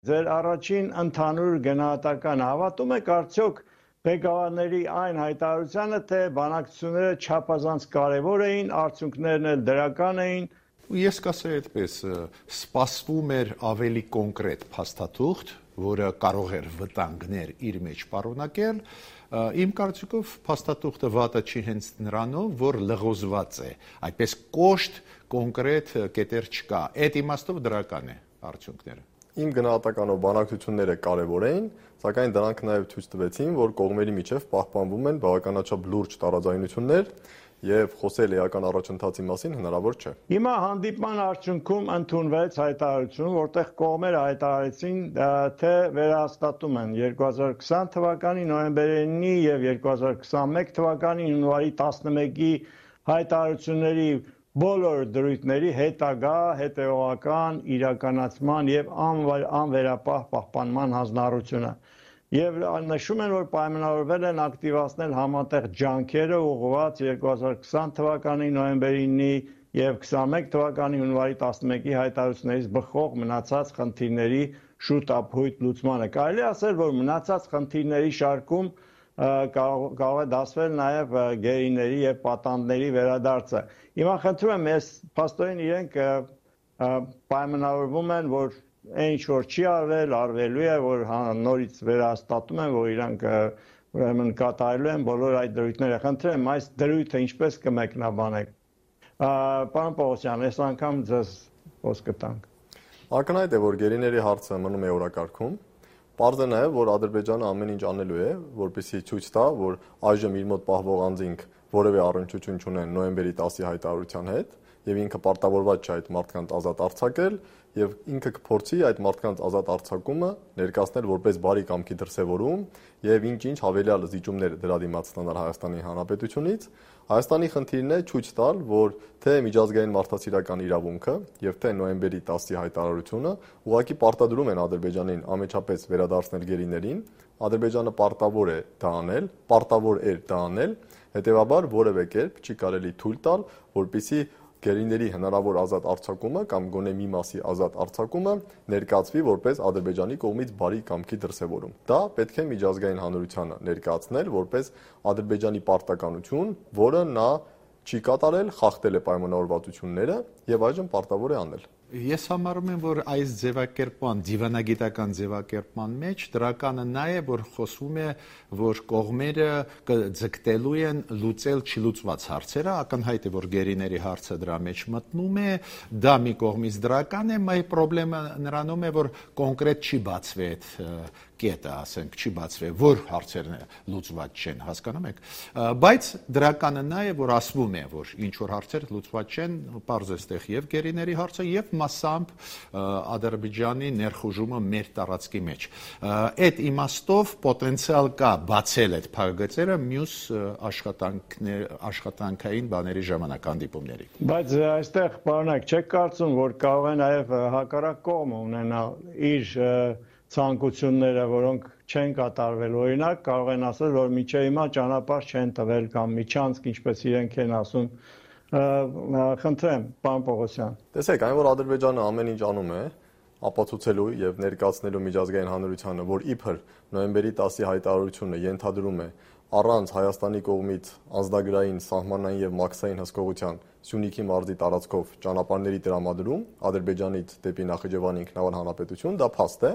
Ձեր առաջին ընդհանուր գնահատականը հավատում եք արդյոք ղեկավարների այն հայտարարությանը, թե բանակցությունները չափազանց կարևոր էին, արդյունքներն էլ դրական էին։ Ես կասեի այդպես, սպասվում էր ավելի կոնկրետ փաստաթուղթ, որը կարող էր վտանգներ իր մեջ պարունակել։ Իմ կարծիքով փաստաթուղթը վատը չի հենց նրանով, որ լղոզված է, այդպես կոշտ կոնկրետ կետեր չկա։ Այդ իմաստով դրական է արդյունքները։ Իմ գնահատականով բանակցությունները կարևոր էին, սակայն դրանք նաև ցույց տվեցին, որ կողմերի միջև պահպանվում են բավականաչափ լուրջ տարաձայնություններ եւ խոսել էական առաջընթացի մասին հնարավոր չէ։ Հիմա հանդիպման արդյունքում ընդունվեց հայտարարություն, որտեղ կողմերը հայտարարեցին, թե վերահաստատում են 2020 թվականի նոյեմբերի եւ 2021 թվականի հունվարի 11-ի հայտարարությունների բոլոր դրույթների հետագա հետևողական իրականացման եւ անվերապահ պահպանման հանձնառությունը եւ նշում են, որ պայմանավորվել են ակտիվացնել համատեղ ջանքերը ուղղված 2020 թվականի նոյեմբերի 9-ի եւ 21 թվականի հունվարի 11-ի հայտարարություններից բխող մնացած խնդիրների շուտ ապհույթ լուծմանը։ Կարելի ասել, որ մնացած խնդիրների շարքում կարող է դասվել նաև գերիների եւ պատանդների վերադարձը։ Հիմա խնդրում եմ, ես փաստորեն իրենք պայմանավորվում են, որ այն ինչ որ չի արվել, արվելու է, որ նորից վերահաստատում են, որ իրանք ուրեմն կատարելու են բոլոր այդ դրույթները։ Խնդրում եմ, այս դրույթը ինչպես կմեկնաբանեք։ Պարոն Պողոսյան, այս անգամ ձեզ խոսքը տանք։ Ակնհայտ է, որ գերիների հարցը մնում է օրակարգում։ Պարզ է նաև, որ Ադրբեջանը ամեն ինչ անելու է, որպեսզի ցույց տա, որ այժմ իր մոտ պահվող անձինք որևէ առնչություն չունեն նոյեմբերի 10-ի հայտարարության հետ, եւ ինքը պարտավորված չէ այդ մարդկանց ազատ արձակել, եւ ինքը կփորձի այդ մարդկանց ազատ արձակումը ներկայացնել որպես բարի կամքի դրսևորում եւ ինչ-ինչ հավելյալ զիջումներ դրա դիմաց ստանալ Հայաստանի Հանրապետությունից։ Հայաստանի խնդիրն է ցույց տալ, որ թե միջազգային մարդասիրական իրավունքը եւ թե նոյեմբերի 10-ի հայտարարությունը ուղղակի պարտադրում են Ադրբեջանին ամեջապես վերադարձնել գերիներին։ Ադրբեջանը պարտավոր է դա անել, պարտավոր էր դա անել, հետեւաբար որևէ կերպ չի կարելի թույլ տալ, որպեսզի գերիների հնարավոր ազատ արձակումը կամ գոնե մի մասի ազատ արձակումը ներկայացվի որպես Ադրբեջանի կողմից բարի կամքի դրսևորում։ Դա պետք է միջազգային հանրությանը ներկայացնել որպես Ադրբեջանի պարտականություն, որը նա չի կատարել, խախտել է պայմանավորվածությունները եւ այժմ պարտավոր է անել։ Ես համարում եմ, որ այս ձևակերպման, դիվանագիտական ձևակերպման մեջ դրականը նա է, որ խոսվում է, որ կողմերը ձգտելու են լուծել չլուծված հարցերը, ակնհայտ է, որ գերիների հարցը դրա մեջ մտնում է, դա մի կողմից դրական է, մայ պրոբլեմը նրանում է, որ կոնկրետ չի բացվի այդ կետը, ասենք, չի բացվի, որ հարցերն լուծված չեն, հասկանում եք, բայց դրականը նա է, որ ասվում է, որ ինչ որ հարցեր լուծված չեն, պարզ է ստեղ եւ գերիների հարցը եւ մասամբ Ադրբեջանի ներխուժումը մեր տարածքի մեջ։ Այդ իմաստով պոտենցիալ կա բացել այդ փակագծերը մյուս աշխատանքային բաների ժամանակ հանդիպումների։ Բայց այստեղ պարոնակ չեք կարծում, որ կարող է նաև հակառակ կողմը ունենալ իր ցանկությունները, որոնք չեն կատարվել։ Օրինակ կարող են ասել, որ միջև հիմա ճանապարհ չեն տվել կամ միջանցք, ինչպես իրենք են ասում։ Խնդրեմ, պարոն Պողոսյան։ Տեսեք, այն որ Ադրբեջանը ամեն ինչ անում է, ապացուցելու եւ ներկայացնելու միջազգային հանրությանը, որ իբր նոյեմբերի 10-ի հայտարարությունը ենթադրում է առանց Հայաստանի կողմից անձնագրային, սահմանային եւ մաքսային հսկողության Սյունիքի մարզի տարածքով ճանապարհների տրամադրում Ադրբեջանից դեպի Նախիջևանի ինքնավար հանրապետություն, դա փաստ է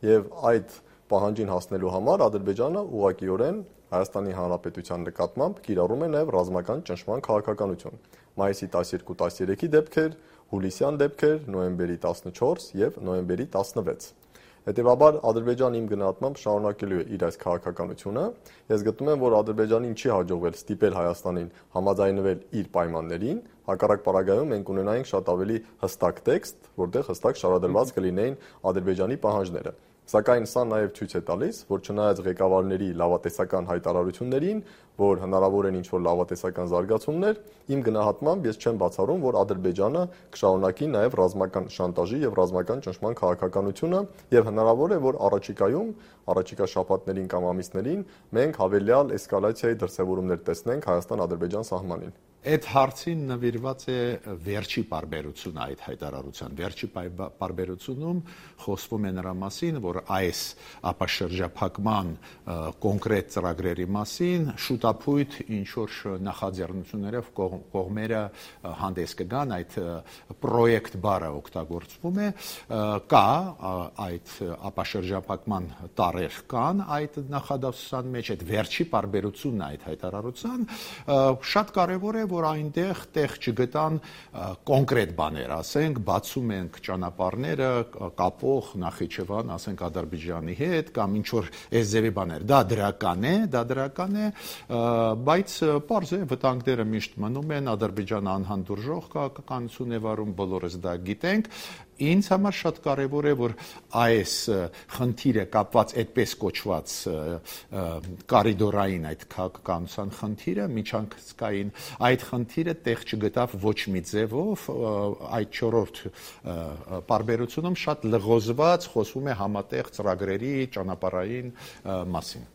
եւ այդ պահանջին հասնելու համար Ադրբեջանը ուղղակիորեն Հայաստանի Հանրապետության նկատմամբ կիրառում է նաեւ ռազմական ճնշման քաղաքականություն։ Մայիսի 12-13-ի դեպքեր, հուլիսյան դեպքեր, նոյեմբերի 14 եւ նոյեմբերի 16։ Հետևաբար Ադրբեջանը իմ գնահատմամբ շարունակելու է իր այս քաղաքականությունը։ Ես գտնում եմ, որ Ադրբեջանին չի հաջողվել ստիպել Հայաստանին համաձայնվել իր պայմաններին, հակառակ պարագայում մենք ունենայինք շատ ավելի հստակ տեքստ, որտեղ հստակ շարադրված կլինեին Ադրբեջանի պահանջները։ Սակայն սա նաև ցույց է տալիս, որ չնայած ղեկավարների լավատեսական հայտարարություններին, որ հնարավոր են ինչ-որ լավատեսական զարգացումներ, իմ գնահատմամբ ես չեմ բացառում, որ Ադրբեջանը կշարունակի նաև ռազմական շանտաժի եւ ռազմական ճնշման քաղաքականությունը եւ հնարավոր է, որ առաջիկա շաբաթներին կամ ամիսներին մենք հավելյալ էսկալացիայի դրսևորումներ տեսնենք Հայաստան-Ադրբեջան սահմանին։ Այդ հարցին նվիրված է վերջի պարբերությունը այդ հայտարարության։ Վերջի պարբերությունում խոսվում է նրա մասին, որ այս ապաշրջափակման կոնկրետ ծրագրերի մասին շուտապույտ ինչ որ նախաձեռնություններով կողմերը հանդես կգան, այդ պրոյեկտ բառը օգտագործվում է, կա այդ ապաշրջափակման տարեր կան այդ նախադասության մեջ, այդ վերջի պարբերությունն է այդ հայտարարության, շատ կարևոր է որ այնտեղ տեղ չգտան կոնկրետ բաներ, ասենք, բացում ենք ճանապարհները կապող Նախիջևան, ասենք Ադրբեջանի հետ կամ ինչ որ այս ձևի բաներ։ Դա դրական է, բայց պարզ է վտանգները միշտ մնում են, Ադրբեջանը անհանդուրժող քաղաքականություն է վարում, բոլորս դա գիտենք։ Ինձ համար շատ կարևոր է որ այս խնդիրը կապված այդպես կոչված կարիդորային այդ քաղաքականության խնդիրը միջանկցկային այդ խնդիրը տեղ չգտավ ոչ մի ձևով այդ 4-րդ պարբերությունում շատ լղոզված խոսվում է համատեղ ծրագրերի ճանապարհային մասին